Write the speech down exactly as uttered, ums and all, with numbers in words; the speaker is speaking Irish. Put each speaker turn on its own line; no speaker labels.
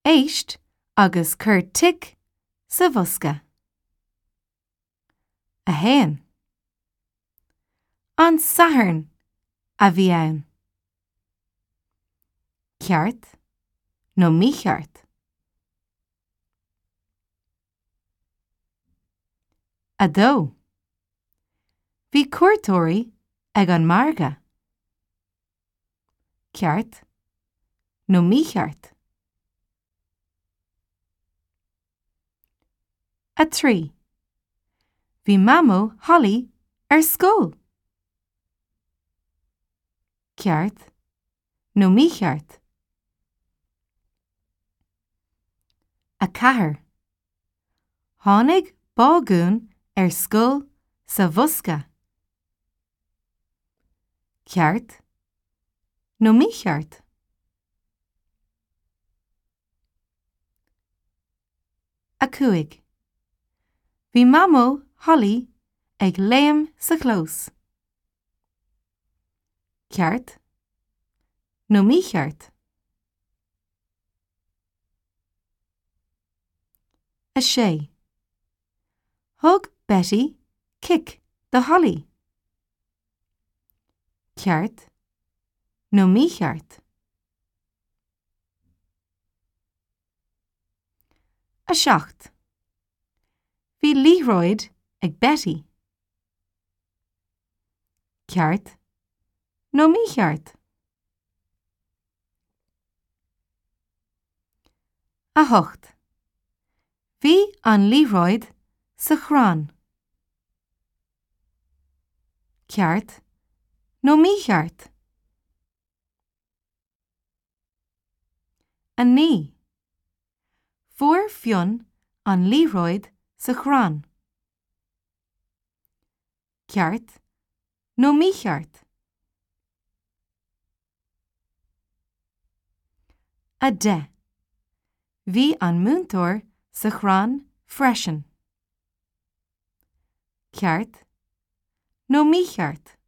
Éist agus cuir tic sa bhosca. A haon. An Satharn a bhí ann. Ceart nó mícheart. A dó. Bhí cuairteoirí ag an margadh. Ceart nó mícheart. A trí. Bhí Mamó Holly ar scoil. Ceart nó mícheart. A ceathair. Tháinig bágún ar scoil sa bhosca. Ceart nó mícheart. A cúig. Bhí Mamó Holly ag léim sa chlós. Ceart nó mícheart. A sé. Thug Betty cic do Holly. Ceart nó mícheart. A seacht. Bhí liathróid ag Betty. Ceart nó mícheart. A hocht. Bhí an liathróid sa chrann. Ceart nó mícheart. A naoi. Fuair Fionn an liathróid sa chrann. Ceart nó mícheart. A deich. Bhí an múinteoir sa chrann freisin. Ceart nó mícheart.